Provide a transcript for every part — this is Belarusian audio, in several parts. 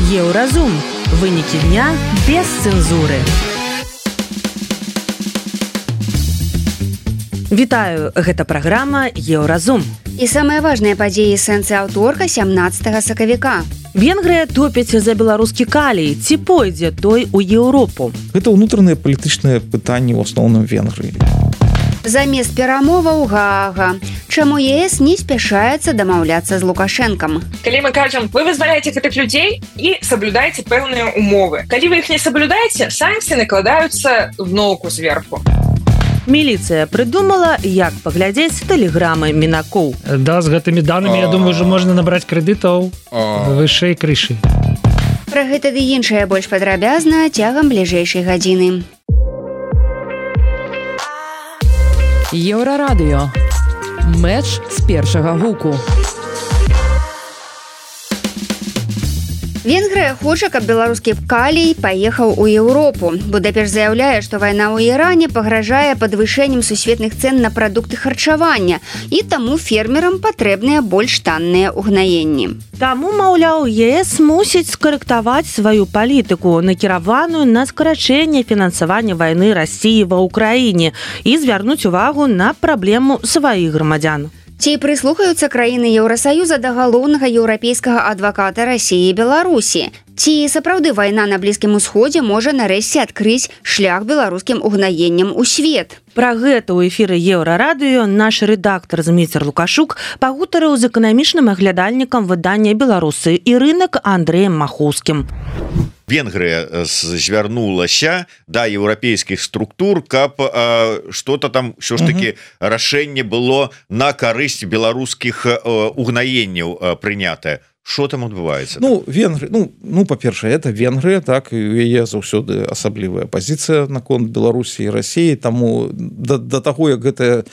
Еўразум. Вынікі дня без цэнзуры. Вітаю, гэта праграма Еўразум. І самыя важныя падзеі сэнсы аўторка 17 сакавіка. Венгрыя топіць за беларускі калій. Ці пойдзе той у Еўропу? Гэта ўнутраныя палітычныя пытанні ў асноўным Венгрыі. Замест перамоваў Гаага. Чаму ЕС не спяшаецца дамаўляцца з Лукашэнкам? Калі мы кажам, вы вызваляеце гэтых людзей і саблюдаеце пэўныя умовы. Калі вы іх не саблюдаеце, санкцыі накладаюцца зноўку зверху. Міліцыя прыдумала, як паглядзець тэлеграмы мінакоў. Да, з гэтымі данымі, я думаю, ўжо можна набраць крэдытаў вышэй крышы. Пра гэта ды іншае больш падрабязна цягам бліжэйшай гадзіны. Еўрарадыё. Мэч з першага гуку. Венгрыя хоча, каб беларускі калій паехаў у Еўропу. Будапешт заяўляе, што вайна ў Іране пагражае падвышэннем сусветных цэн на прадукты харчавання, і таму фермерам патрэбныя больш танныя ўгнаенні. Таму, маўляў, ЕС мусіць скарэктаваць сваю палітыку, накіраваную на скарачэнне фінансавання вайны Расіі ва ўкраіне і звярнуць увагу на праблему сваіх грамадзян. Ці прыслухаюцца краіны Еўрасаюза да галоўнага еўрапейскага адваката Расіі і Беларусі? Ці сапраўды вайна на Блізкім Усходзе можа нарэшце адкрыць шлях беларускім угнаенням у свет? Пра гэта ў эфіры Еўрарадыё наш рэдактар Зміцер Лукашук пагутарыў з эканамічным аглядальнікам выдання «Беларусы» і рынак Андрэем Махоўскім. Венгрыя звярнулася да еўрапейскіх структур, каб что-то там ўсё ж таки рашэнне было на карысць беларускіх угнаенняў прынятае. Что там адбываецца? Венгрыя, па-першае, это Венгрыя, так, і у яе заўсёды асаблівая пазіцыя наконт Беларусі і Расіі, таму да таго, як гэта,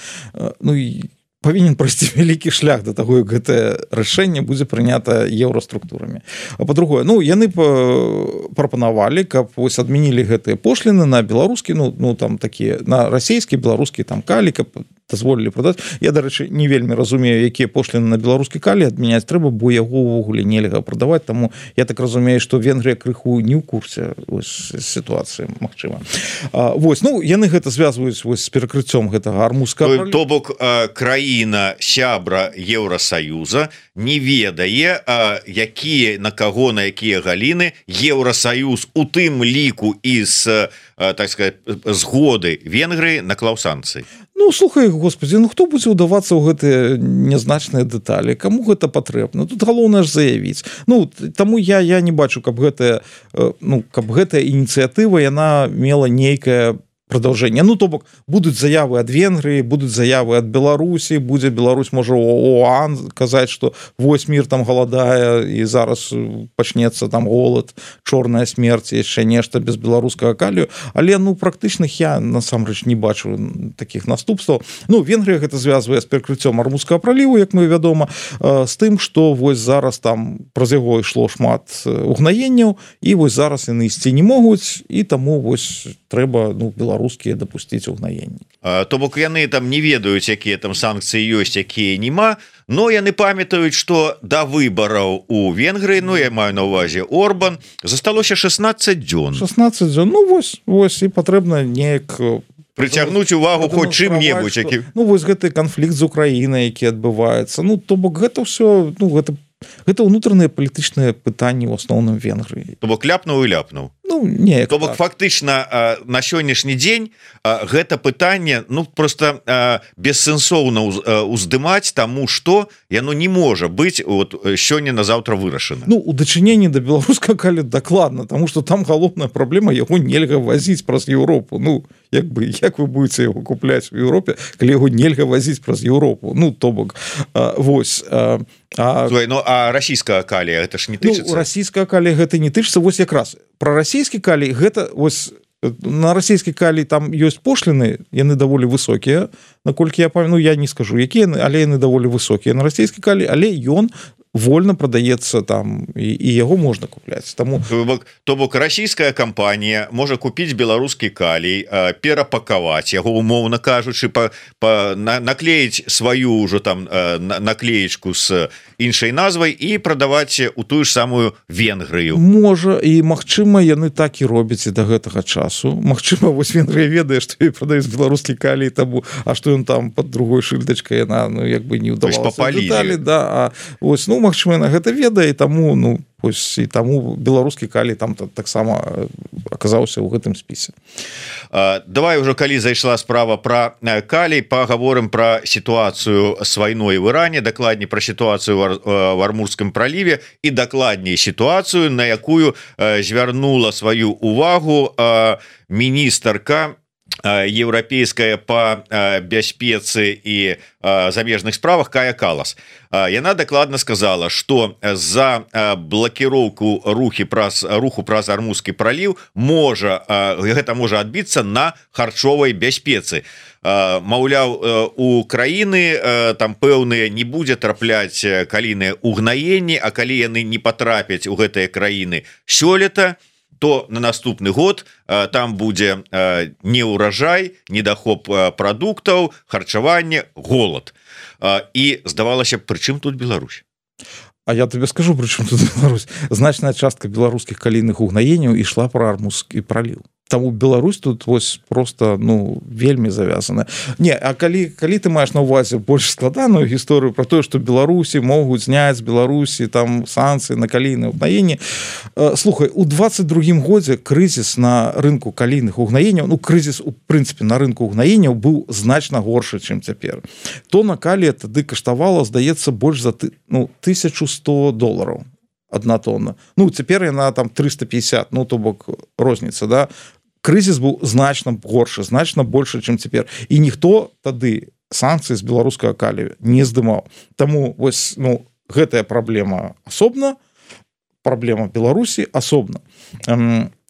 павінен прайсці вялікі шлях да таго, як гэтае рашэнне будзе прынята еўраструктурамі. А па-другое, яны прапанавалі, каб вось адмянілі гэтыя пошліны на беларускі, там такія, на расійскі, беларускі там калій, каб дазволілі прадаць. Я, дарэчы, не вельмі разумею, якія пошліны на беларускі калій адмяняць трэба, бо яго ўвогуле нельга прадаваць, таму я так разумею, што Венгрыя крыху не ў курсе сітуацыі, магчыма. Яны гэта звязваюць з перакрыццём гэтага армузскага. То бок краіна сябра Еўрасаюза не ведае, якія на каго, на якія галіны Еўрасаюз у тым ліку і з, так сказать, згоды Венгрыі наклаў санкцыі. Слухай, господи, хто будзе ўдавацца ў гэтыя нязначныя дэталі? Каму гэта патрэбна? Тут галоўнае ж заявіць. Таму я не бачу, каб гэтая ініцыятыва, яна мела нейкае продолжение. То бок, будуць заявы ад Венгрыі, будуць заявы ад Беларусі, будзе Беларусь, можа, ОАН казаць, што вось мір там галадае, і зараз пачнецца там голад, чорная смерць, яшчэ нешта без беларускага калію, але, практычных я, насамрэч, не бачу такіх наступстваў. Венгрыя гэта звязвае з перакрыццём Армузскага праліву, як мы вядома, з тым, што вось зараз там праз яго ішло шмат угнаенняў, і вось зараз яны ісці не могуць, і таму вось трэба, беларускія дапусціць угнаенні. То бок яны там не ведаюць, якія там санкцыі ёсць, якія нема, но яны памятаюць, што да выбараў у Венгрыі, я маю на ўвазе Орбан, засталося 16 дзён. 16 дзён, вось, і патрэбна неяк прыцягнуць увагу хоць чым-небудзь. Вось гэты канфлікт з Украінай, які адбываецца. То бок гэта ўсё, гэта ўнутраныя палітычныя пытанні ў асноўным Венгрыі. То бок ляпнуў і ляпнуў. То бок фактычна на сённяшні дзень гэта пытанне просто бессэнсоўна уздымаць, таму што яно не можа быць сёння на заўтра вырашана. У дачыненні да беларускага калію дакладна, таму што там галоўная праблема, яго нельга вазіць праз Еўропу. Як вы будете яго купляць у Еўропе, калі яго нельга вазіць праз Еўропу? То бок, вось. А расійскага калія гэта ж не тычыцца? Расійскага калія гэта не тычыцца. Вось якраз пра расійскі калій гэта вось на расійскі калій там ёсць пошліны, яны даволі высокія, наколькі я памятаю, я не скажу якія, але яны даволі высокія на расійскі калій, але ён вольна прадаецца там і яго можна купляць. Таму то бок расійская кампанія можа купіць беларускі калій, перапакаваць яго, умоўна кажучы, наклеіць сваю ўжо там наклеечку з іншай назвай і прадаваць у тую ж самую Венгрыю. Можа, і магчыма яны так і робяць і да гэтага часу. Магчыма, вось Венгрыя ведае, што ёй прадаюць беларускі калій, таму а што ён там пад другой шыльдачкай, яна як бы не ўдавалася дэталі, да, а вось, ну, магчыма, яна гэта ведае, і таму, ну, вось, і таму беларускі калій там таксама аказаўся ў гэтым спісе. Давай уже, калі зайшла справа пра калій, пагаворым пра сітуацыю з вайной в Іране, дакладней пра сітуацыю в Армурскім праліве і дакладней сітуацыю, на якую звярнула сваю увагу міністарка еўрапейская па бяспецы і замежных справах Кая Калас. Яна дакладна сказала, што за блакіроўку руху праз Армурскі праліў гэта можа адбіцца на харчовай бяспецы. Маўляў, у краіны там пэўныя не будзе трапляць калійныя угнаенні, а калі яны не патрапяць у гэтыя краіны сёлета, то на наступны год там будзе неўражай, недахоп прадуктаў, харчаванне, голад. І здавалася, прычым тут Беларусь? А я тебе скажу, прычым тут Беларусь. Значная частка беларускіх калійных угнаенняў ішла пра Армурскі праліў. Таму Беларусь тут вось просто, ну, вельмі завязана. Не, а калі ты маеш на ўвазе больш складаную гісторыю пра тое, што Беларусі могуць зняць з Беларусі там санкцыі на калійныя угнаенні, слухай, у 22-м годзе крызіс на рынку калійных угнаенняў, ну, крызіс, у прынцыпе, на рынку угнаенняў быў значна горшы, чым цяпер. Тона калія тады каштавала, здаецца, больш за $1100 одна тонна. Ну, цяпер яна там 350, ну, то бок розніца, да? Крызіс быў значна горшы, значна большы, чым цяпер. І ніхто тады санкцыі з беларускага калію не здымаў. Таму вось, ну, гэтая праблема асобна, праблема Беларусі асобна.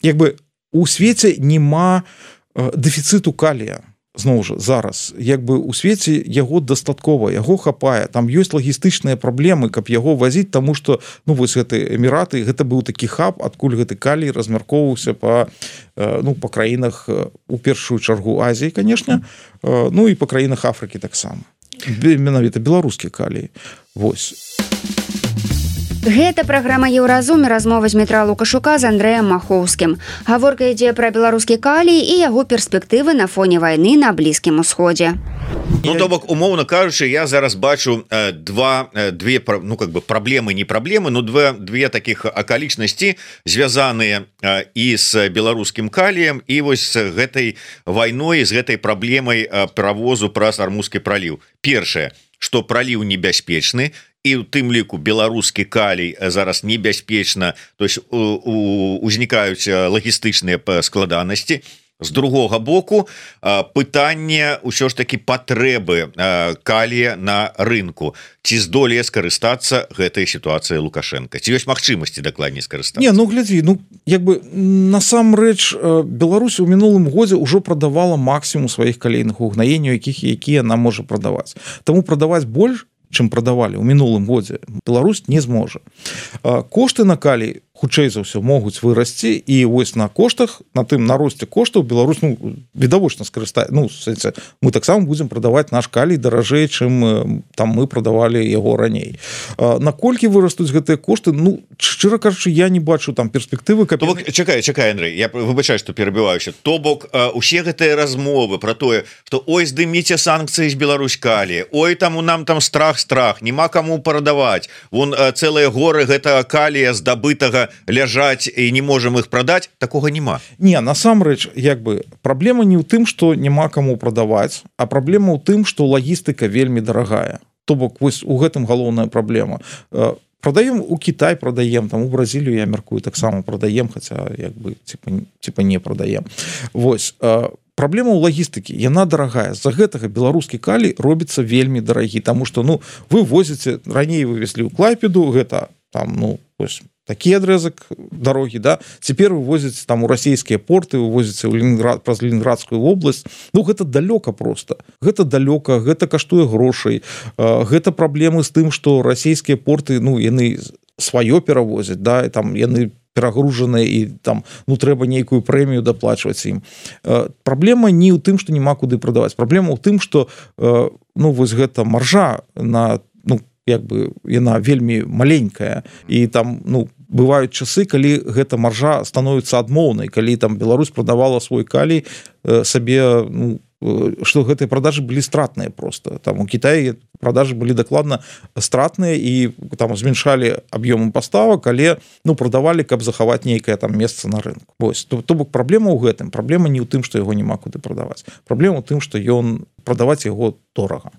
Як бы у свеце няма дэфіцыту калія. Зноў жа, зараз, як бы у свеце яго дастаткова, яго хапае, там ёсць лагістычныя праблемы, каб яго вазіць, таму што, ну, вось гэты Эміраты, гэта быў такі хаб, адкуль гэты калій размяркоўваўся па краінах, у першую чаргу Азіі, канешне, ну і па краінах Афрыкі таксама. Менавіта беларускі калій. Вось. Гэта праграма Еўразум, размова з Дмітра Лукашука з Андрэем Махоўскім. Гаворка ідзе пра беларускі калій і яго перспектывы на фоне вайны на Блізкім Усходзе. Ну, то бок, умоўна кажучы, я зараз бачу две, ну, как бы праблемы, не праблемы, но две таких акалічнасці, звязаныя і з беларускім каліем, і вось з гэтай вайной, з гэтай праблемай правозу праз Армурскі праліў. Першае, што праліў небяспечны, і ў тым ліку беларускі калій зараз небяспечна, то есть узнікаюць лагістычныя складанасці. З другога боку, пытанне ўсё ж такі патрэбы калія на рынку. Ці здолее скарыстацца гэтай сітуацыяй Лукашенка? Ці ёсць магчымасці дакладней скарыстацца? Не, ну глядзі, ну як бы насамрэч Беларусь у мінулым годзе ўжо прадавала максімум сваіх калійных угнаенняў, якія нам можа прадаваць. Таму прадаваць больш, чым прадавалі ў мінулым годзе, Беларусь не зможа. Кошты на калій хутчэй за ўсё могуць вырасці, і вось на коштах, на тым на росце коштаў Беларусь, ну, відавочна скарыстае. Ну, мы таксама будзем прадаваць наш калій даражэй, чым там мы прадавалі яго раней. Наколькі вырастуць гэтыя кошты, ну, шчыра кажучы, я не бачу там перспектывы, каб... Чакай, Андрэй, я выбачаю, што перабіваюся. То бок, усе гэтыя размовы пра тое, што ой, здыміце санкцыі з Беларусь калія, ой, там у нам там страх, няма каму прадаваць. Вон цэлыя горы гэтага калія здабытага ляжаць і не можам іх прадаць, такога няма. Не, насамрэч, як бы праблема не ў тым, што няма каму прадаваць, а праблема ў тым, што лагістыка вельмі дарагая. То бок, вось у гэтым галоўная праблема. Прадаем у Кітай, прадаем, там у Бразілію, я мяркую, таксама прадаем, хаця як бы типа не прадаем. Вось, праблема ў лагістыкі, яна дарагая. З-за гэтага беларускі калій робіцца вельмі дарагі, таму што, ну, вы возіце, раней вывезлі ў Клайпеду, гэта там, ну, вось, такі адрезак дарогі, да, цяпер вывозяць там у расійскія порты, вывозяцца ў Ленінград, праз Ленінградскую вобласць. Ну, гэта далёка просто. Гэта далёка, гэта каштуе грошай. Гэта праблемы з тым, што расійскія порты, ну, яны сваё перавозяць, да, і там яны перагружаныя і там, ну, трэба нейкую прэмію даплачваць ім. Праблема не ў тым, што няма куды прадаваць. Праблема ў тым, што, ну, вось гэта маржа на, ну, як бы яна вельмі маленькая, і там, ну, бываюць часы, калі гэта маржа становіцца адмоўнай, калі там Беларусь прадавала свой калій сабе, ну, што гэтыя продажы былі стратныя просто. Там у Кітаі продажы былі дакладна стратныя і там зменшалі аб'ёмы паставак, але, ну, прадавалі, каб захаваць нейкае там месца на рынку. Вось, то бок праблема ў гэтым. Праблема не ў тым, што яго няма куды прадаваць. Праблема ў тым, што ён прадаваць яго дорага.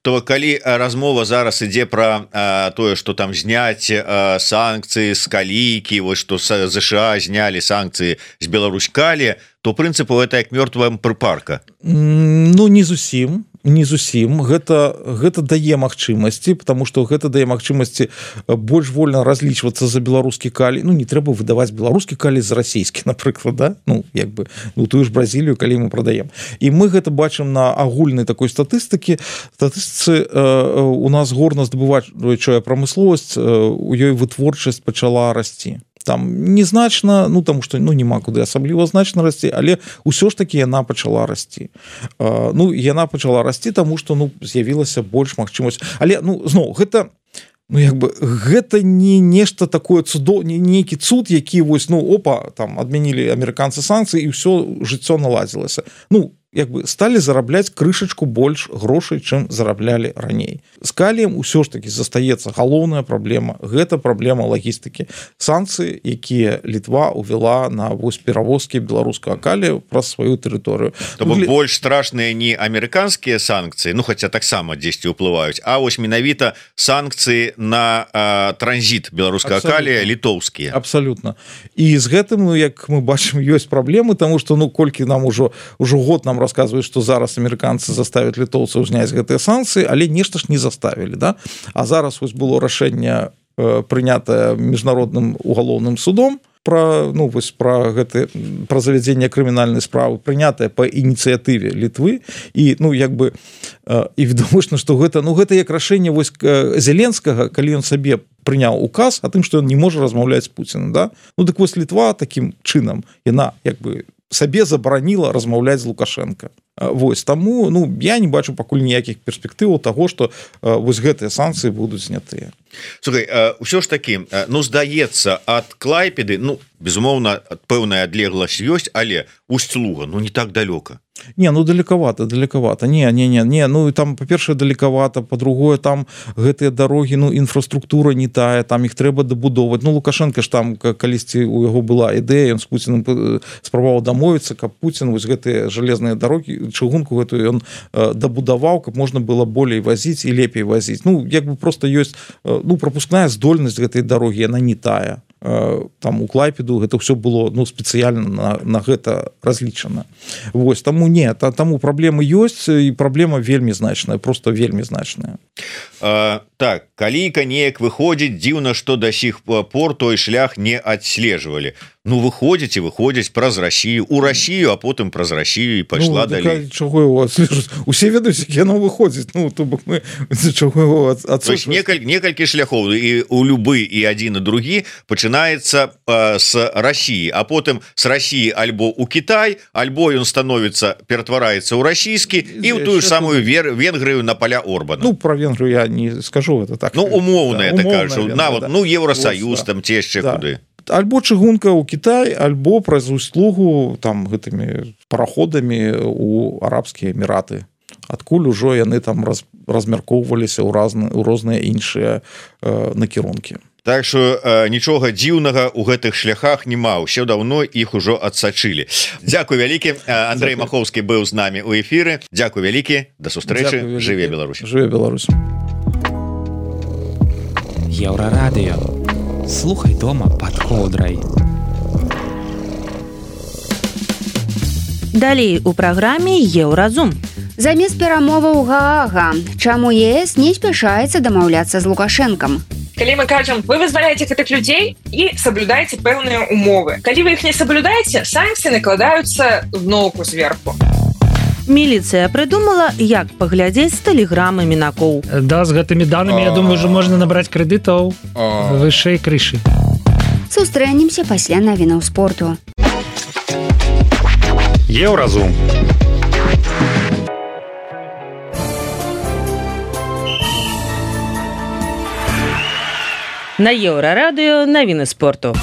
То калі размова зараз ідзе пра тое, што там зняць санкцыі з калійкі, вось што ЗША знялі санкцыі з Беларусь калі, то прынцыпу гэта як мёртвая прыпарка. Ну, не зусім. Не зусім. Гэта дае магчымасці, потому што гэта дае магчымасці больш вольна разлічвацца за беларускі калій. Ну, не трэба выдаваць беларускі калій за расійскі, напрыклад, да? Ну, як бы, ну, тую ж Бразілію, калі мы прадаем. І мы гэта бачым на агульнай такой статыстыцы. У нас горна-здабываючая прамысловасць, у ёй вытворчасць пачала расці. Там незначна, ну, таму што, ну, няма куды асабліва значна расці, але ўсё ж такі яна пачала расці. Ну, яна пачала расці, таму што, ну, з'явілася больш магчымасць. Але, ну, зноў, гэта, ну, як бы, гэта не нешта такое цудоўнае, нейкі цуд, які вось, ну, опа, там адмянілі амерыканцы санкцыі і ўсё жыццё наладзілася. Ну, як бы сталі зарабляць крышачку больш грошай, чым зараблялі раней. З каліем ўсё ж такі застаецца галоўная праблема. Гэта праблема лагістыкі. Санкцыі, якія Літва увяла на вось перавозкі беларускага калія праз сваю тэрыторыю. То бок больш страшныя не амерыканскія санкцыі, ну, хаця таксама дзесьці ўплываюць, а вось менавіта санкцыі на транзіт беларускага калія літоўскія. Абсалютна. І з гэтым, ну, як мы бачым, ёсць праблемы, таму што, ну, колькі нам ужо год нам рассказывают, что зараз амерыканцы заставят літоўцаў зняць гэтыя санкцыі, але нешта ж не заставілі, да? А зараз вось было рашэнне прынятае міжнародным угалоўным судом пра завядзенне крымінальнай справы, прынятае па ініцыятыве Літвы, і, ну, як бы, і відавочна, што гэта, ну, гэта як рашэнне вось Зеленскага, калі ён сабе прыняў указ о тым, што ён не можа размаўляць з Пуціным, да? Ну, так вось Літва такім чынам, яна, як бы, сабе забараніла размаўляць з Лукашенко. Вось, таму, ну, я не бачу пакуль ніякіх перспектываў таго, што вось гэтыя санкцыі будуць знятыя. Слухай, ўсё ж такі, ну, здаецца, ад Клайпеды, ну, безумоўна, пэўная адлегласць ёсць, але Усть-Луга, ну, не так далёка. Не, ну, далекавата. Не, ну, там, па-першае, далекавата, па-другое, там гэтыя дарогі, ну, інфраструктура не тая, там іх трэба дабудоўваць. Ну, Лукашенко ж там калісьці у яго была ідэя, ён з Пуціным спрабаваў дамовіцца, каб Пуцін вось гэтыя жалезныя дарогі, чыгунку гэтую ён дабудаваў, каб можна было болей вазіць і лепей вазіць. Ну, як бы проста ёсць, ну, пропускная здольнасць гэтай дарогі, яна не тая. Там у Клайпеду гэта ўсё было, ну, спецыяльна на гэта разлічана. Вось, таму не, таму праблемы ёсць, і праблема вельмі значная, просто вельмі значная. Так, калійка неяк выходзіць, дзіўна, што да сіх пор той шлях не адслежвалі. Ну, выходзяць праз Расію, у Расію, а потым праз Расію і пайшла, ну, далей. Чаго его адслежваць? Усе ведаюць, як яно выходзіць. Ну, то бок мы чаго его адслежваць? Некалькі шляхоў, і у любы і адзін і другі пачынаецца з Расіі, а потым з Расіі альбо ў Кітай, альбо ён становіцца, ператвараецца ў расійскі і ў тую ж самую Венгрыю на поля Орбана. Ну, про Венгрыю я не скажу, это так. Ну, умоўна, я так кажу. Нават, ну, Еўросаюз, там ці яшчэ куды. Альбо чыгунка ў Кітай, альбо праз Усть-Лугу там гэтымі параходамі ў арабскія эміраты. Адкуль ужо яны там размяркоўваліся ў розныя іншыя накірункі. Так што нічога дзіўнага ў гэтых шляхах няма, ўсё даўно іх ужо адсачылі. Дзякуй вялікі. Андрэй Махоўскі быў з намі ў эфіры. Дзякуй вялікі. Да сустрэчы. Жыве Беларусь. Жыве Беларусь. Еўрарадыё. Слухай дома пад коўдрай. Далей у праграме Еўразум. Замест перамоваў Гаага, чаму ЕС не спяшаецца дамаўляцца з Лукашэнкам? калі мы кажам вы вызваляеце гэтых людзей і соблюдаеце пэўныя умовы. Калі вы іх не соблюдаеце, санкцыі накладаюцца зноўку зверху. Міліцыя прыдумала, як паглядзець з тэлеграмы мінакоў. Да, з гэтымі данымі, я думаю, ўжо можна набраць крэдытаў вышэй крышы. Сустрэнемся пасля навінаў спорту. Еўразум. На Еўрарадыё навіны спорту.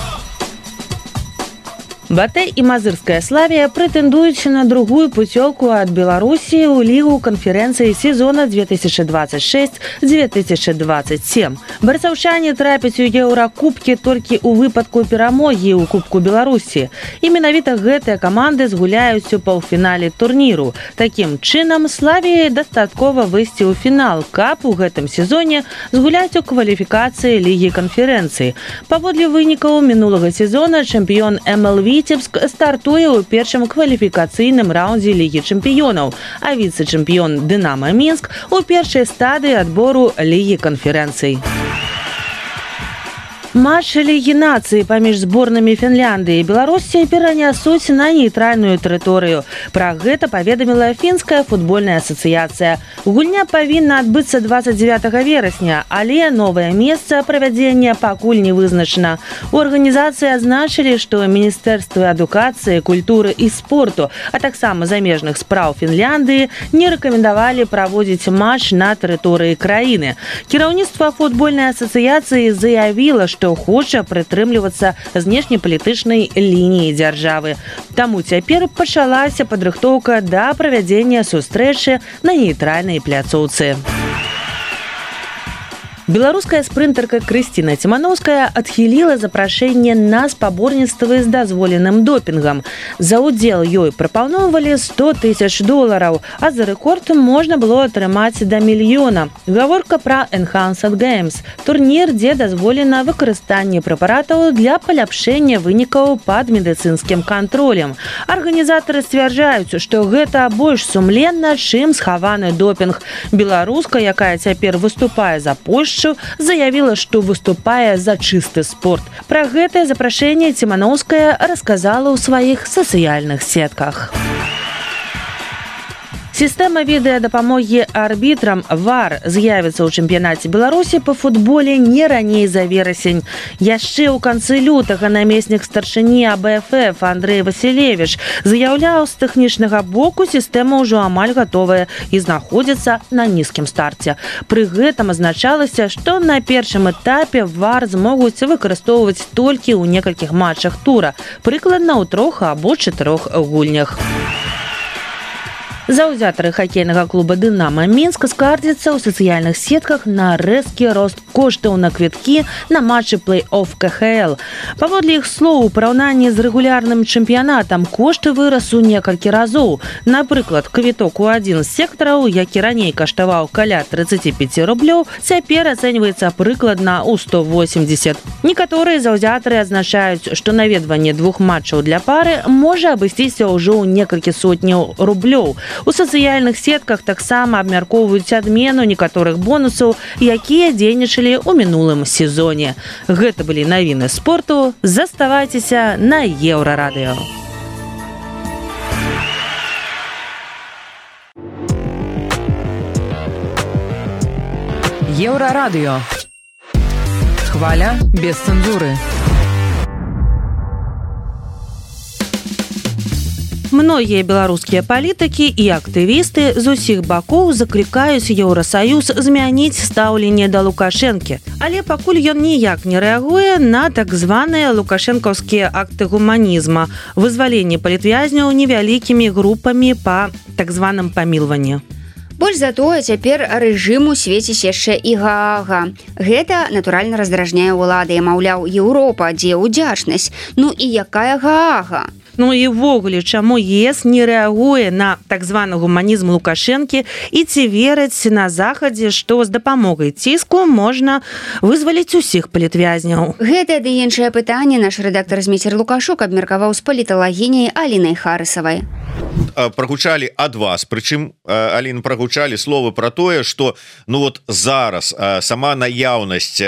Батэй і Мазырская Славія прэтэндуюць на другую пуцёўку ад Беларусі ў лігу канферэнцыі сезона 2026-2027. Барысаўчане трапяць у еўракубкі толькі ў выпадку перамогі ў Кубку Беларусі. І менавіта гэтыя каманды згуляюць у паўфінале турніру. Такім чынам, Славіі дастаткова выйсці ў фінал, каб у гэтым сезоне згуляць у кваліфікацыі лігі канферэнцыі. Паводле вынікаў мінулага сезона чэмпіён МЛ Віцебск стартуе ў першым кваліфікацыйным раўндзе Лігі чэмпіёнаў, а віцэ-чэмпіён Дынама Мінск у першай стадыі адбору Лігі канферэнцый. Матч Лігі нацыі паміж зборнымі Фінляндыі і Беларусі перанясуць на нейтральную тэрыторыю. Пра гэта паведаміла фінская футбольная асацыяцыя. Гульня павінна адбыцца 29 верасня, але новае месца правядзення пакуль не вызначана. У арганізацыі адзначылі, што Міністэрствы адукацыі, культуры і спорту, а таксама замежных спраў Фінляндыі не рэкамендавалі праводзіць матч на тэрыторыі краіны. Кіраўніцтва футбольнай асацыяцыі заявіла, што хоча прытрымлівацца знешнепалітычнай лініі дзяржавы. Таму цяпер пачалася падрыхтоўка да правядзення сустрэчы на нейтральнай пляцоўцы. Беларуская спрынтарка Крысціна Ціманоўская адхіліла запрашэнне на спаборніцтвы з дазволеным допінгам. За ўдзел ёй прапаноўвалі $100,000, а за рэкорд можна было атрымаць да мільёна. Гаворка пра Enhanced Games – турнір, дзе дазволена выкарыстанне прэпаратаў для паляпшэння вынікаў пад медыцынскім кантролем. Арганізатары сцвярджаюць, што гэта больш сумленна, чым схаваны допінг. Беларуска, якая цяпер выступае за Польшчу, заявіла, што выступае за чысты спорт. Пра гэтае запрашэнне Ціманоўская расказала ў сваіх сацыяльных сетках. Сістэма відэадапамогі арбітрам ВАР з'явіцца ў чэмпіянаце Беларусі па футболе не раней за верасень. Яшчэ ў канцы лютага намеснік старшыні АБФ Андрэй Васілевіч заяўляў, з тэхнічнага боку сістэма ўжо амаль гатовая і знаходзіцца на нізкім старце. Пры гэтым азначалася, што на першым этапе ВАР змогуць выкарыстоўваць толькі ў некалькіх матчах тура, прыкладна ў 3 або 4 гульнях. Заўзятары хакейнага клуба «Дынама Мінск» скардзяцца ў сацыяльных сетках на рэзкі рост коштаў на квіткі на матчы плэй-офф КХЛ. Паводле іх слоў, у параўнанні з рэгулярным чэмпіянатам кошты вырас у некалькі разоў. Напрыклад, квіток у адзін з сектараў, які раней каштаваў каля 35 рублёў, цяпер ацэньваецца прыкладна ў 180. Некаторыя заўзятары адзначаюць, што наведванне 2 матчаў для пары можа абысціся ўжо ў некалькі сотняў рублёў. У сацыяльных сетках таксама абмяркоўваюць адмену некаторых бонусаў, якія дзейнічалі ў мінулым сезоне. Гэта былі навіны спорту. Заставайцеся на Еўрарадыё. Еўрарадыё. Хваля без цэнзуры. Многія беларускія палітыкі і актывісты з усіх бакоў заклікаюць Еўрасаюз змяніць стаўленне да Лукашэнкі. Але пакуль ён ніяк не рэагуе на так званыя лукашэнкаўскія акты гуманізма, вызваленне палітвязняў невялікімі групамі па так званым памілванні. Больш за тое, цяпер рэжыму свеціць яшчэ і Гаага. Гэта, натуральна, раздражняе ўлады. Маўляў, Еўропа, дзе ўдзячнасць? Ну і якая Гаага? Ну і ввогуле, чаму ЕС не рэагуе на так званы гуманізм Лукашэнкі і ці вераць на Захадзе, што з дапамогай ціску можна вызваліць усіх палітвязняў? Гэта ды іншае пытанне наш рэдактар Зміцер Лукашук абмеркаваў з паліталагіняй Алінай Харысавай. Прогучалі ад вас, прычым Аліна, прогучалі словы про тое, что ну вот зараз сама наяўнасць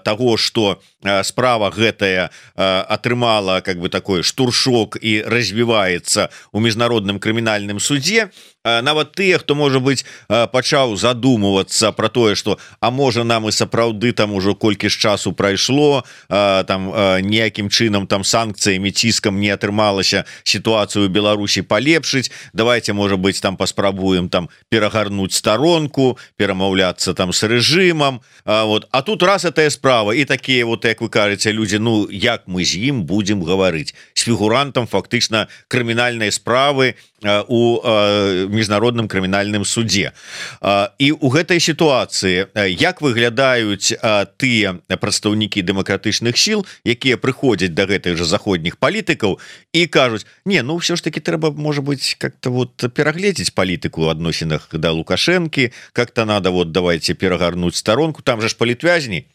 того, что справа гэтая атрымала как бы такой штуршок і развіваецца у міжнародным крымінальным судзе, нават тыя, хто можа быть пачаў задумывацца про тое, что а можа нам і сапраўды там ужо колькі ж часу прайшло, там ніякім чынам там санкцыямі, ціскам не атрымалася сітуацыю Беларусі палепшыць, давайте можа быть там паспрабуем там перагарнуць старонку, перамаўляцца там с рэжымам, вот. А тут раз этая справа і такія вот, як вы кажаце, людзі, ну як мы з ім будзем гаварыць з фігурантам фактычна крымінальнай справы у міжнародным крымінальным судзе. І у гэтай сітуацыі як выглядаюць тыя прадстаўнікі дэмакратычных сіл, якія прыходзяць да гэтых жа заходніх палітыкаў і кажуць, не, ну ўсё ж таки трэба, можа быть, как-то вот перагледзець палітыку ў адносінах да Лукашэнкі, как-то надо вот давайте перагарнуць старонку, там же ж палітвязні.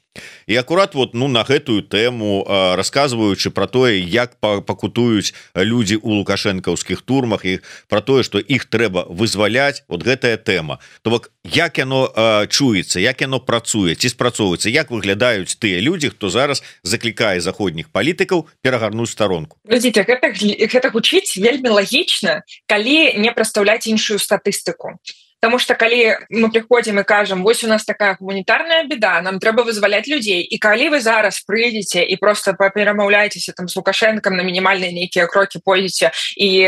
І акурат вот ну на гэтую тэму расказваючы про тое, як пакутуюць людзі у лукашэнкаўскіх турмах і про тое, што іх трэба вызваляць, вот гэтая тэма. То бок як яно чуецца, як яно працуе, ці спрацоўваецца, як выглядаюць тыя людзі, хто зараз заклікае заходніх палітыкаў перагарнуць старонку. Глядзіце, гэта гучыць вельмі лагічна, калі не прадстаўляць іншую статыстыку. Потому что калі мы приходим и кажем, вось у нас такая гуманитарная беда, нам трэба вызваляць людзей, і калі вы зараз прыйдзеце і просто перамаўляецеся там с Лукашенком, на мінімальныя нейкія крокі пойдзеце і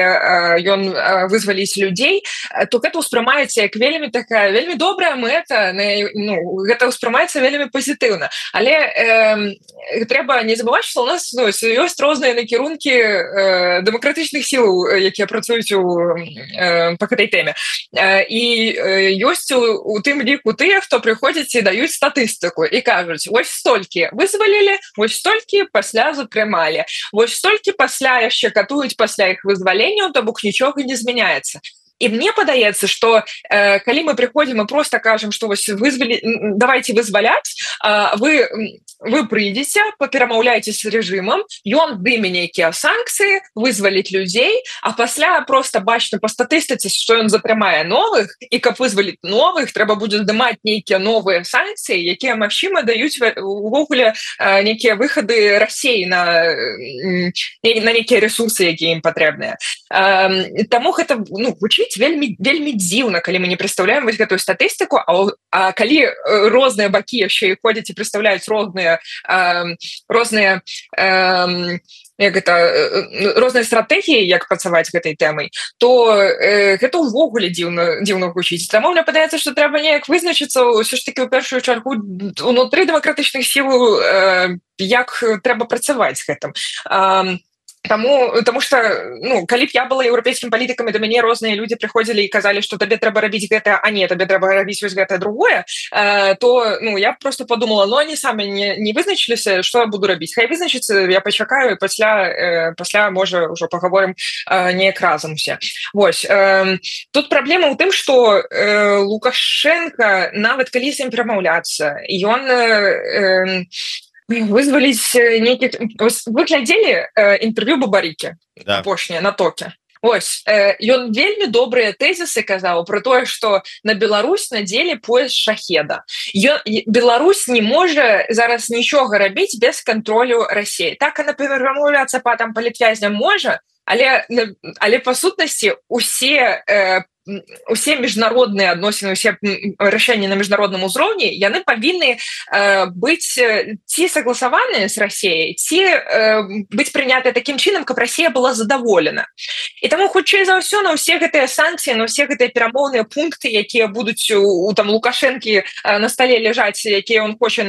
ён вызваліць людзей, то гэта ўспрымаецца як вельмі такая вельмі добрая мэта, ну, гэта ўспрымаецца вельмі пазітыўна. Але трэба не забываць, што у нас ёсць розныя накірункі дэмакратычных сіл, якія працуюць па гэтай тэме. І ёсць у тым ліку тыя, хто прыходзяць і даюць статыстыку і кажуць, вось столькі вызвалілі, вось столькі пасля затрымалі, вось столькі пасля яшчэ катуюць пасля іх вызваленняў, то бок нічога не змяняецца. І мне падаецца, што калі мы прыходзім і просто кажам, што вось давайте вызваляць, вы прыйдзеце, паперамаўляеце з рэжымам, ён дыме нейкія санкцыі, вызваліць людзей, а пасля просто бачна па статыстыцы, што ён затрымае новых, і каб вызваліць новых, трэба будзе здымаць нейкія новыя санкцыі, якія, магчыма, даюць увогуле нейкія выхады Расіі на нейкія ресурсы, якія ім патрэбныя. Таму гэта гучыць вельмі дзіўна, калі мы не прадстаўляем вось гэтую статыстыку, а калі розныя бакі яшчэ і ходзяць і прадстаўляюць розныя стратэгіі, як працаваць гэтай тэмай, то гэта ўвогуле дзіўна гучыць. Таму мне падаецца, што трэба неяк вызначыцца ўсё ж такі ў першую чаргу унутры дэмакратычных сіл, як трэба працаваць з гэтым. Таму што калі б я была еўрапейскім палітыкам, і да мяне розныя людзі прыходзілі і казалі, што табе трэба рабіць гэта, а не, табе трэба рабіць вось гэтае другое, то я б просто подумала, они самі не вызначыліся, што я буду рабіць. Хай вызначыцца, я пачакаю, і пасля можа ўжо пагаворым неяк разам усе. Вось. Тут праблема ў тым, што Лукашенко, нават калі з ім перамаўляцца, ён вызваліць нейкіх... Вы глядзелі інтэрв'ю Бабарыкі апошняе на Токе? Ось, ён вельмі добрыя тэзісы казаў про тое, што на Беларусь надзелі пояс шахеда. Беларусь не можа зараз нічога рабіць без кантролю Расіі. Так, і перамаўляцца па палітвязням можа, але па сутнасці усе міжнародныя адносіны, усе рашэнні на міжнародным узроўні, яны павінны быць ці согласаваныя з Расіяй, ці быць прынятыя такім чынам, каб Расія была задаволена. І таму хутчэй за ўсё на ўсе гэтыя санкцыі, на ўсе гэтыя перамоўныя пункты, якія будуць у Лукашэнкі на стале ляжаць, якія ён хоча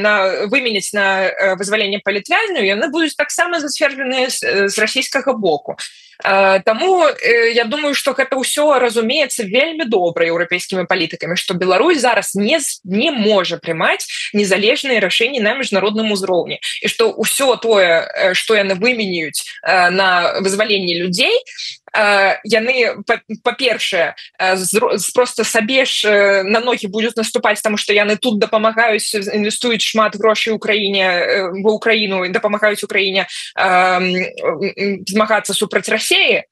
выменяць на вызваленне палітвязняў, яны будуць таксама зацверджаныя з расійскага боку. Таму я думаю, што гэта ўсё разумеецца вельмі добра еўрапейскімі палітыкамі, што Беларусь зараз не можа прымаць незалежныя рашэнні на міжнародным узроўні, і што ўсё тое, што яны выменяюць на вызваленне людзей, яны, па-першае, просто сабе ж на ногі будуць наступаць, таму што яны тут дапамагаюць, інвестуюць шмат грошай ва Ўкраіну, дапамагаюць Украіне змагацца супраць Расіі.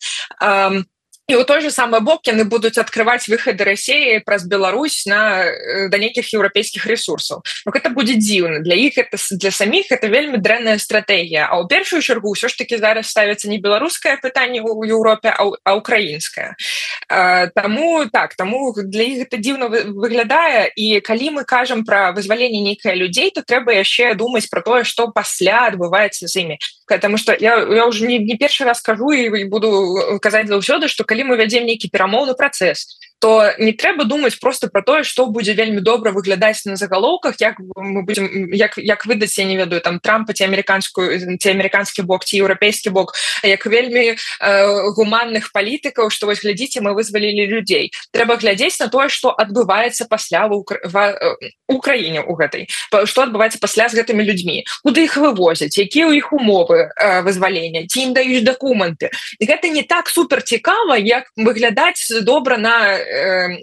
і ў той же самы бок яны будуць адкрываць выхады Расіі праз Беларусь да нейкіх еўрапейскіх ресурсаў. Гэта будзе дзіўна. Для іх для саміх это вельмі дрэнная стратэгія. А ў першую чаргу ўсё ж таки зараз ставіцца не беларускае пытанне ў Еўропе, а украінскае. Таму для іх гэта дзіўна выглядае, і калі мы кажам пра вызваленне нейкіх людзей, то трэба яшчэ думаць пра тое, што пасля адбываецца з імі. Потому что я уже не першы раз кажу і буду казаць заўсёды, што калі мы вядзем нейкі перамоўны працэс, то не трэба думаць просто про тое, што будзе вельмі добра выглядаць на загалоўках, як мы будем як выдаць, я не ведаю, там Трампа ці амерыканскі бок ці еўрапейскі бок, як вельмі гуманных палітыкаў, што вось глядзіце, мы вызвалілі людзей. Трэба глядзець на тое, што адбываецца пасля в Украіне у гэтай, што адбываецца пасля з гэтымі людзьмі, куды іх вывозяць, якія ў іх умовы вызвалення, ці ім даюць дакументы. І гэта не так супер цікава, як выглядаць добра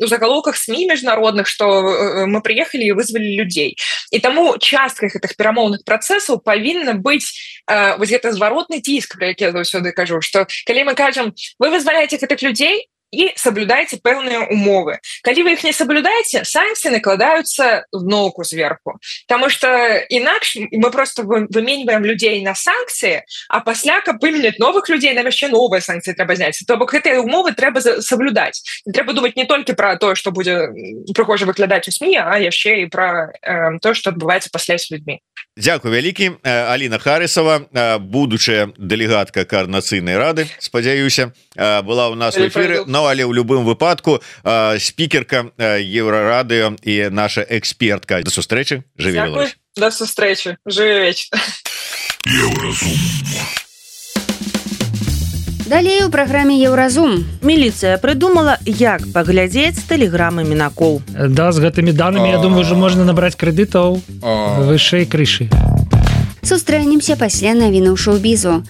у заголовках СМИ міжнародных, што мы прыехалі і вызвалі людзей. І таму часткай гэтых перамоўных працэсаў павінна быць вось гэта зваротны ціск, пра які я заўсёды кажу, што калі мы кажам, вы вызваляеце гэтых людзей і саблюдайце пэўныя умовы. Калі вы іх не саблюдаеце, санкцыі накладаюцца зноўку зверху. Таму што інакш мы просто выменьваем людзей на санкцыі, а пасля, каб выменяць новых людзей, нам яшчэ новыя санкцыі трэба зняць. То бок гэтыя умовы трэба саблюдаць. Трэба думаць не толькі пра тое, што будзе прыгожа выглядаць у СМІ, а яшчэ і пра тое, што адбываецца пасля з людзьмі. Дзякуй вялікі. Аліна Харысова, будучая дэлегатка Коордынацыйнай рады, спадзяюся, была ў нас в эфіры. Але ў любым выпадку спікерка Еўрарадыё і наша экспертка. До сустрэчы. Жыві Беларусь. До сустрэчы. Жыві вечна. Далей у праграме Еўразум. Міліцыя прыдумала, як паглядзець тэлеграмы мінакоў. Да, з гэтымі данымі, я думаю, ўжо можна набраць крэдытаў вышэй крышы. Сустрэнемся пасля навінаў шоу-бізу.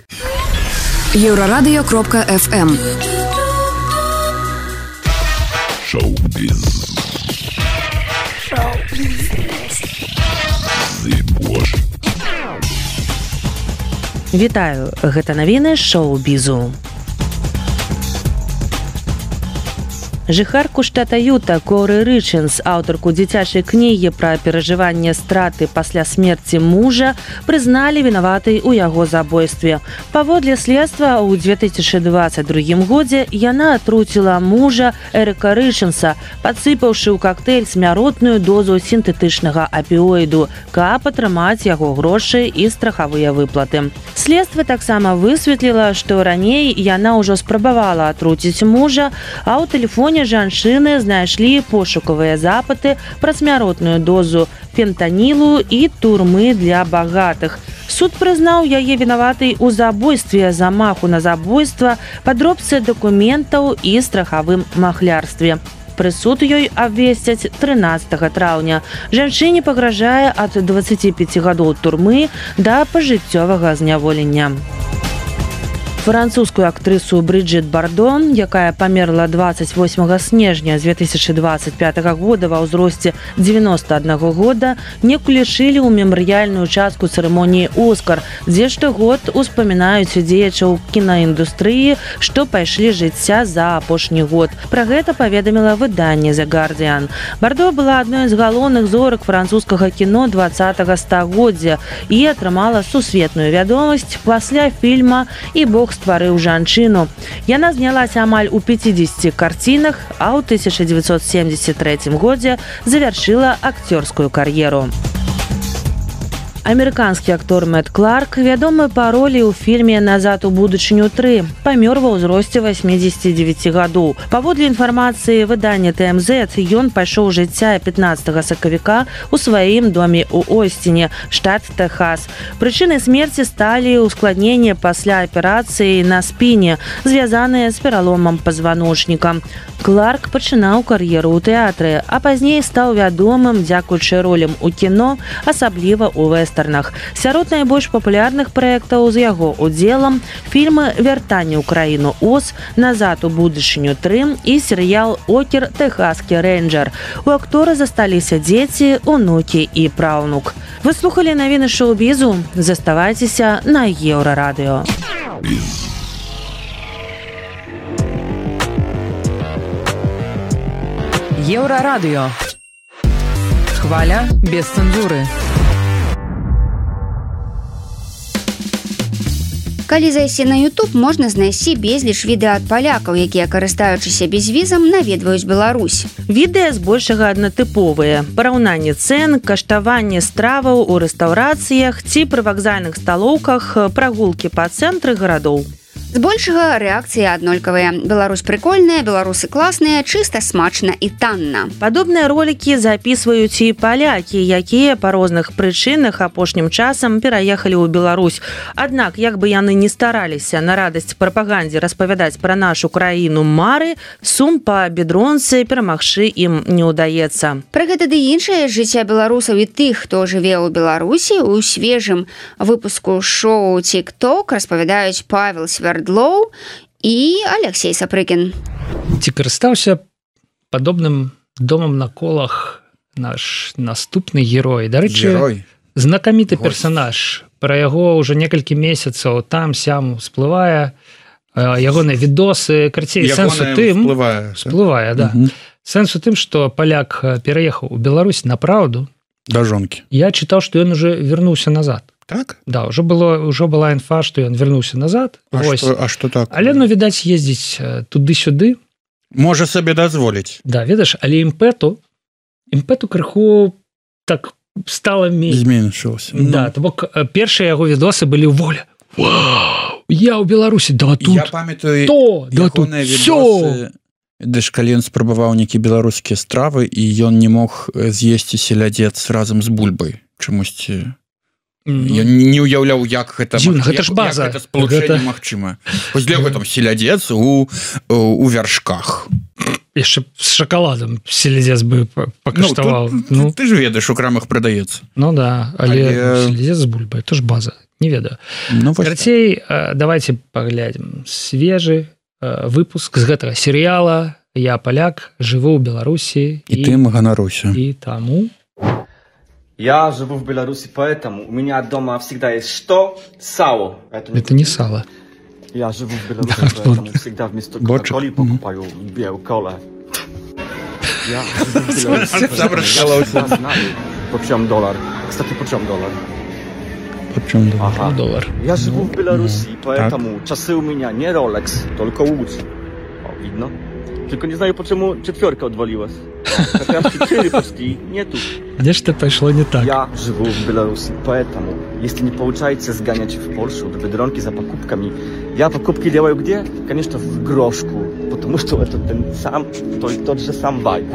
Еўрарадыё.фм Шоу-біз. Вітаю, гэта навіны шоу-бізу. Жыхарку штата Юта Коры Рычынс, аўтарку дзіцячай кнігі пра перажыванне страты пасля смерці мужа, прызналі вінаватай у яго забойстве. Паводле следства, ў 2022 годзе яна атруціла мужа Эрыка Рычынса, падсыпаўшы ў кактэйль смяротную дозу сінтэтычнага апіоіду, каб атрымаць яго грошы і страхавыя выплаты. Следства таксама высветліла, што раней яна ўжо спрабавала атруціць мужа, а ў тэлефоне жанчыны знайшлі пошукавыя запыты пра смяротную дозу фентанілу і турмы для багатых. Суд прызнаў яе вінаватай у забойстве, замаху на забойства, падробцы дакументаў і страхавым махлярстве. Прысуд ёй абвесцяць 13 траўня. Жанчыне пагражае ад 25 гадоў турмы да пажыццёвага зняволення. Французскую актрысу Брыджит Бардо, якая памерла 28 снежня 2025 года ва ўзросце 91 года, не ўключылі ў мемарыяльную частку цырымоніі «Оскар», дзе штогод успамінаюць дзеячаў кінаіндустрыі, што пайшлі жыцця за апошні год. Пра гэта паведаміла выданне «The Guardian». Бардо была адной з галоўных зорак французскага кіно 20-го стагоддзя і атрымала сусветную вядомасць пасля фільма «І Бог стварыў жанчыну». Яна знялася амаль у 50 карцінах, а ў 1973 годзе завяршыла акцёрскую кар'еру. Амерыканскі актор Мэт Кларк, вядомы па ролі ў фільме «Назад у будучыню 3», памёр ва ўзросце 89 гадоў. Паводле інфармацыі выдання ТМЗ, ён пайшоў жыцця 15 сакавіка ў сваім доме ў Остине, штат Тэхас. Прычынай смерці сталі ускладненні пасля аперацыі на спіне, звязаныя з пераломам пазваночніка. Кларк пачынаў кар'еру ў тэатры, а пазней стаў вядомым дзякуючы ролям у кіно, асабліва ў вэстэрнах. Сярод найбольш папулярных праектаў з яго удзелам фільмы «Вяртанне ў краіну Оз», «Назад у будучыню 3» і серыял «Окер. Тэхаскі рэйнджэр». У актора засталіся дзеці, унукі і праўнук. Вы слухалі навіны шоу-бізу? Заставайцеся на Еўрарадыё. Еўрарадыё. Хваля без цэнзуры. Калі зайсці на YouTube, можна знайсці безліч відэа ад палякаў, якія, карыстаючыся бязвізам, наведваюць Беларусь. Відэа збольшага аднатыповыя. Параўнанне цэн, каштаванне страваў у рэстаўрацыях ці пры вакзальных сталоўках, прагулкі па цэнтры гарадоў. Збольшага рэакцыі аднолькавыя. Беларусь прыкольная, беларусы класныя, чыста, смачна і танна. Падобныя ролікі запісваюць і палякі, якія па розных прычынах апошнім часам пераехалі ў Беларусь. Аднак, як бы яны не стараліся на радасць прапагандзе распавядаць пра нашу краіну мары, сум па бедронцы перамагчы ім не ўдаецца. Пра гэта ды іншае жыцця беларусаў і тых, хто жыве ў Беларусі, у свежым выпуску шоу TikTok распавядаюць Павел Свердлоў і Алексей Сапрыкін. Ці карыстаўся падобным домам на колах наш наступны герой. Дарэчы, знакаміты персанаж. Пра яго ўжо некалькі месяцаў там-сям всплывае. Ягоныя відосы, карцей, сэнс у тым... Всплывае, да. Сэнс у тым, што паляк пераехаў у Беларусь на праўду. Да жонкі. Я чытаў, што ён уже вярнуўся назад. Так? Да, ўжо была інфа, што ён вярнуўся назад. А што так? Але, відаць, ездзіць туды-сюды. Можа сабе дазволіць. Да, ведаеш, але імпэту крыху так стала зменшылася. Да, то бок першыя яго відосы былі ў волі. Вау! Я ў Беларусі, да тут. Я памятаю, да тут всё. Дэш, калі ён спрабаваў нейкія беларускія стравы, і ён не мог з'есці селядзец разам з бульбай. Чамусьці... Я не уяўляў, як гэта спалучэнне магчыма. Вось для гэтым селядзец у вяршках. Яшчэ з шакаладам селядзец бы пакаштаваў. Ты ж ведаеш, у крамах прадаецца. Ну да, але селядзец з бульбай, то ж база, не ведаю. Карацей, давайте паглядзім свежы выпуск з гэтага серыяла «Я паляк, жыву ў Беларусі». І тым ганаруся. І таму... Я живу в Беларуси, поэтому у меня дома всегда есть что? Сало. Это не сало. Я живу в Беларуси, поэтому всегда вместо кока-колы покупаю белую колу. Я живу в Беларуси, я знаю, почем доллар. Кстати, почем доллар? Почем доллар? Ага. Доллар. Я живу в Беларуси, поэтому часы у меня не Rolex, только Uzi. Видно? Tylko nie знаю, почему четверка odwaliłaś. Хотя 4 почти нету. Где ж это пошло не так? Я живу в Беларуси, поэтому, если не получается сгонять в Польшу до Бедронки за покупками, я покупки делаю где? Конечно, в Грошку, потому что это тот же сам вайб.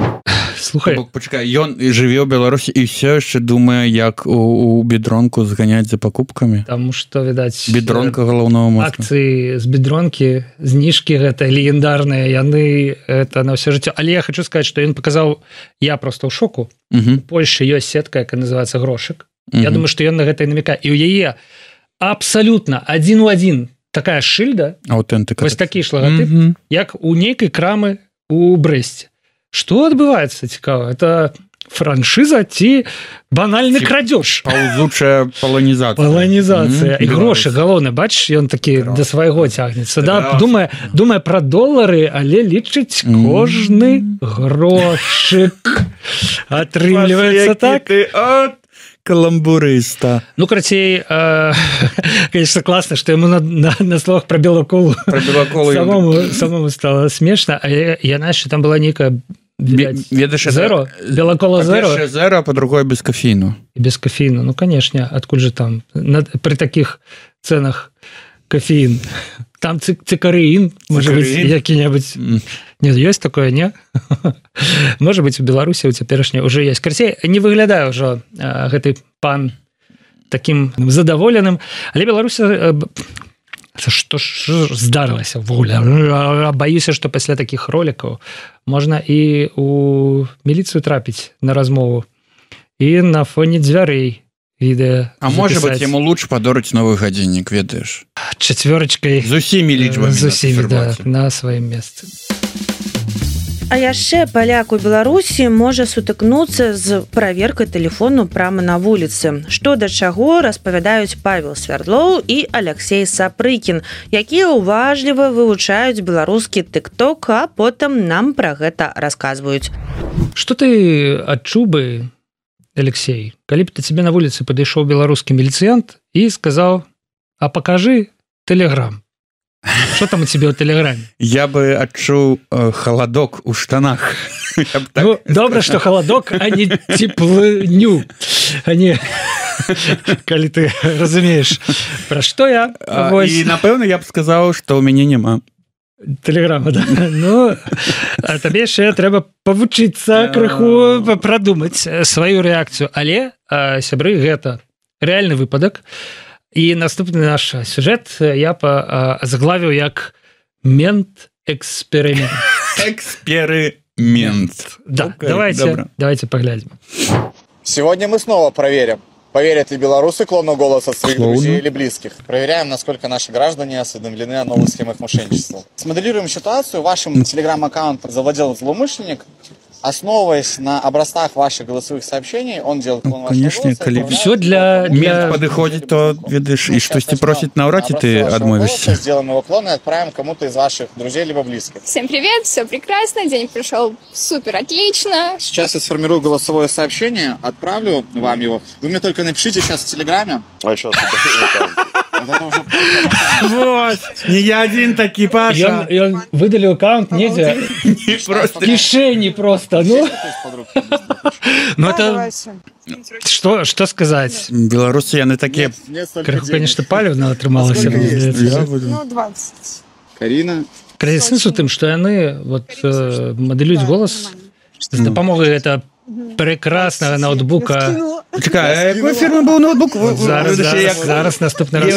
Слухай, пачакай, ён жыве ў Беларусі і ўсё яшчэ думае, як у бедронку зганяць за пакупкамі. Таму што, відаць, бедронка галоўнага мозга. Акцыі з бедронкі, зніжкі гэта легендарныя, яны это на ўсё жыццё. Але я хочу сказаць, што ён паказаў, я просто ў шоку. У Польшы ёсць сетка, якая называецца Грошык. Я думаю, што ён на гэта і намякае. І ў яе абсалютна адзін у адзін такая шыльда, аўтэнтыка. Вось такі ж лагатып, як у нейкай крамы у Брэсце. Што адбываецца, цікава? Это франшыза ці банальны крадзеж? Паўзучая паланізацыя. Паланізацыя. І грошы, галоўны, бачыш, ён такі да свайго цягнецца. Да, думае пра долары, але лічыць кожны грошык. Атрымліваецца так? Каламбурыста. Ну, карацей, конечно, класна, што яму на словах пра белаколу самому стало смешна, але яна яшчэ там была нейкая зеро, белакола зеро. Па-першае зеро, а па-другое без кофеіну. Без кофеіну, ну, конечно, адкуль же там при таких ценах кофеін? Там цикареин, может быть, які-небудзь... Нет, ёсць такое, не? Может быть, у Беларусі у цяперашняй уже есть. Карацей, не выглядае ўжо гэты пан таким задаволеным, але Беларусь... Што ж здарылася вуля? Баюся, што пасля такіх ролікаў можна і у міліцыю трапіць на размову і на фоне дзвярэй відэа. А можа быць, яму лучш падорыць новы гадзіннік, ведаеш? Чацвёрачкай. З усімі лічбамі. З усімі, да, на сваім месцы. А яшчэ паляк у Беларусі можа сутыкнуцца з праверкай тэлефону прама на вуліцы. Што да чаго распавядаюць Павел Свярдлоў і Алексей Сапрыкін, якія уважліва вывучаюць беларускі тык-ток, а потым нам пра гэта расказваюць. Што ты адчуў бы, Алексей, калі б ты тебе на вуліцы падышоў беларускі міліцыянт і сказаў: а покажи Телеграм. Что там у тебя в Телеграме? Я бы адчуў халадок у штанах. Ну, добра, что халадок, а не теплыню. А не... Калі ты разумееш, пра што я. І, напэўна, я б сказаў, што ў мяне няма Телеграма, да. Ну, а табе яшчэ трэба павучыцца крыху, прадумаць сваю рэакцыю. Але, сябры, гэта рэальны выпадак. І наступны наш сюжэт я заглавіў як мент-эксперимент. Эксперимент. Да, давайте поглядим. Сегодня мы снова проверим, поверят ли белорусы клону голоса своих друзей или близких. Проверяем, насколько наши граждане осведомлены о новых схемах мошенничества. Смоделируем ситуацию. Вашим телеграм-аккаунтом завладел злоумышленник. Основываясь на образцах ваших голосовых сообщений, он делает клон вашего голоса. Конечно, все для мент подыходит, то видишь, и что ты просит на уроке, ты отмовишься. Сделаем его клон и отправим кому-то из ваших друзей либо близких. Всем привет, все прекрасно, день прошел супер отлично. Сейчас я сформирую голосовое сообщение, отправлю вам его. Вы мне только напишите сейчас в Телеграме. А что Вот, не я один таки, Паша. Я выдалил аккаунт, нельзя. В кишени просто. Ну это что сказать? Белорусы яны такие. Крыху, конечно, палевно атрымалася. Ну 20. Карина. Сэнс у тым, што яны мадэлююць голас з дапамогай это прекраснага ноутбука. Чакай, якой фірмы быў ноутбук? Зараз наступны раз.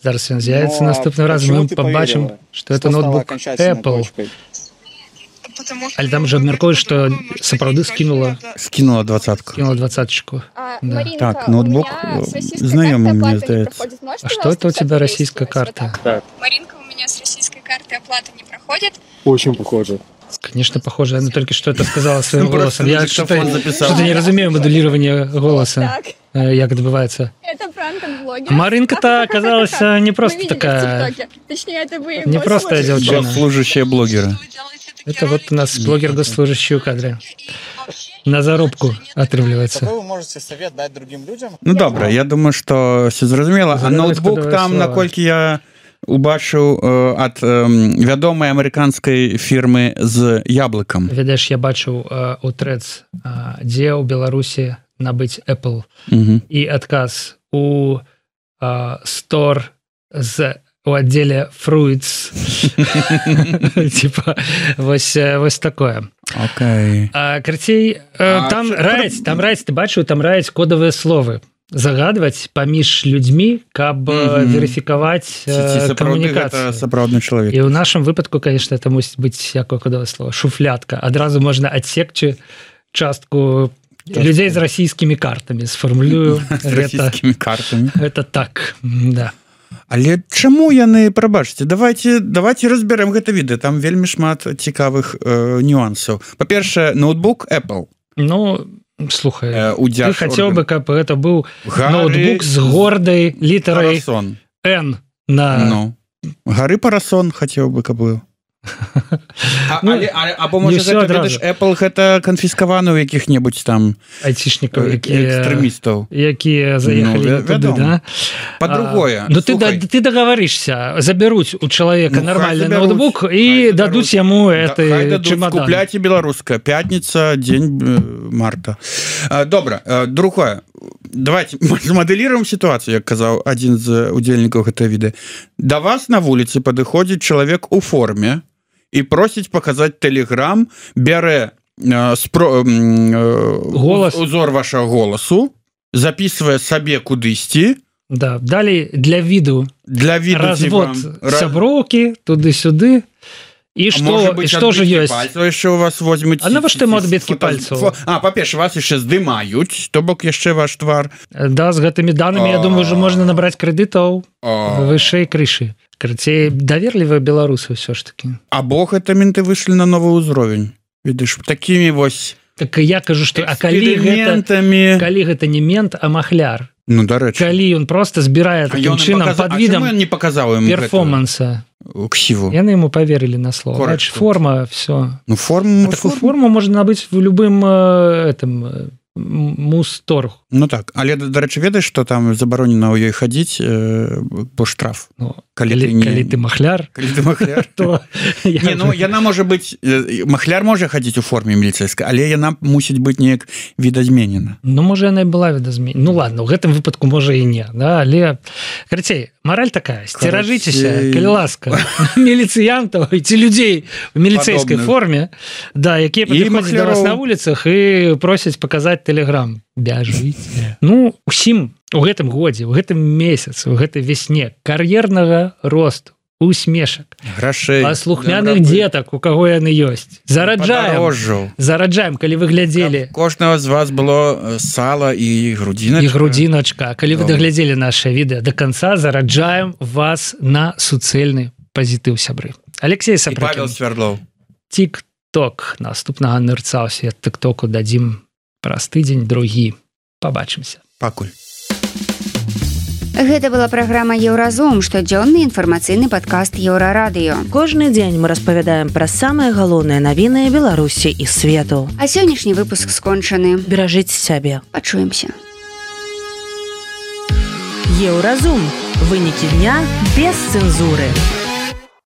Зараз ён з'явіцца наступны раз, мы пабачым, што это ноутбук Apple. Але там же абмяркуюць, што сапраўды скінула 20-ку. Скінула 20-чку. Так, ноутбук знаёмы, мне здаецца. А что это у тебя российская карта? Маринка, у меня с российской карты оплата не проходит. Очень похоже. Конечно, похоже. Она только что это сказала своим голосом. Я что-то не разумею модулирование голоса. Как отбывается. Это пранк от блогера. Маринка-то оказалась не просто такая... Точнее, это вы не простая девчина. Госслужащая блогера. Это вот у нас блогер госслужащий у кадре. На зарубку отрывливается. Какой вы можете совет дать другим людям? Ну, добра, я думаю, что все зразумела. А ноутбук там, наколькі я убачыў ад вядомай амерыканскай фірмы з яблыкам. Ведаеш, я бачыў у Threads, дзе ў Беларусі набыць Apple. І адказ у Store у отделе Fruits. Типа, вось такое. Окей. Карцей, там раяць, ты бачыў, там раяць кодавыя словы. Загадваць паміж людзьмі, каб верыфікаваць камунікацыю. Сапраўдны чалавек. І ў нашым выпадку, конечно, это мусіць быць якое кодавае слово. Шуфлятка. Адразу можна адсекчы частку людзей з расійскімі картамі. Сфармулюю. З расійскімі картамі. Это так, да. Але чаму яны, прабачце, давайте разберем гэта відэа. Там вельмі шмат цікавых нюансаў. Па-першае, ноутбук Apple. Ну, слухай, ты хотел бы, каб это был ноутбук с гордой литерой N на... Гары Парасон хотел бы, каб был. Або можа Apple гэта канфіскаваны ў якіх-небудзь там айцішнікаў, экстрэмістаў, якія заехалі туды, да? Па-другое, ну ты договоришься, забяруць у чалавека нармальны ноутбук і дадуць яму гэты чемодан. Купляйце беларуская, пятніца, дзень марта. Добра, другое, давайте змадэліруем сітуацыю, як казаў адзін з удзельнікаў гэтага відэа. Да вас на вуліцы падыходзіць чалавек у форме і просіць паказаць Telegram, бярэ узор вашага голасу, записывае сабе кудысьці. Да, далей для віду развод сяброўкі туды-сюды И что же есть? Еще у вас возьмут... А навошта ему отбитки пальцев? По-перше, вас еще здымают, то бок еще ваш твар. Да, с гэтыми данными, я думаю, уже можно набрать кредитов выше крыши. Карацей, даверлівыя беларусы ўсё ж таки. А бог это менты выйшлі на новы ўзровень. Видишь, такими вось... Так я кажу, что калі гэта не мент, а махляр. Ну, дарэчы. Калі ён просто збірае таким чынам под видом не показал ему перформанса. Ксиву. Яны ему поверили на слово. Значит, форма, все. Ну, такую форму можно набыть в любым мусторг. Ну так, але, дарэчы, ведаеш, што там забаронена ў ёй хадзіць по штраф. Калі ты махляр, то... Яна можа быць... Махляр можа хадзіць у форме міліцэйскай, але яна мусіць быць неяк відазменена. Ну, можа, яна і была відазменена. Ну, ладно, у гэтым выпадку можа і не. Але, карацей, мораль такая, сцеражыцеся, калі ласка, міліцыянтаў ці людзей у міліцэйскай форме, да, якія падыходзяць да вас на вуліцах і просяць паказаць тэлеграм. Бяжыце. Ну, усім у гэтым годзе, у гэтым месяцы, у гэтай вясне кар'ернага росту, усмешак, грашэй, паслухмяных дзетак, у каго яны ёсць. Зараджаем, калі вы глядзелі. Кожнага з вас было сала і грудзіначка. І грудзіначка. Калі вы даглядзелі наше відэа да канца, зараджаем вас на суцэльны пазітыў, сябры. Алексей Сапрыкін. І Павел Свярдлоў. Тик-ток. Наступнага нырца ў свет тик-току дадзім праз тыдзень, другі. Пабачымся. Пакуль. Гэта была праграма Еўразум, штодзённы інфармацыйны падкаст Еўрарадыё. Кожны дзень мы распавядаем пра самыя галоўныя навіны Беларусі і свету. А сённяшні выпуск скончаны. Беражыце сябе. Пачуемся. Еўразум. Вынікі дня без цэнзуры.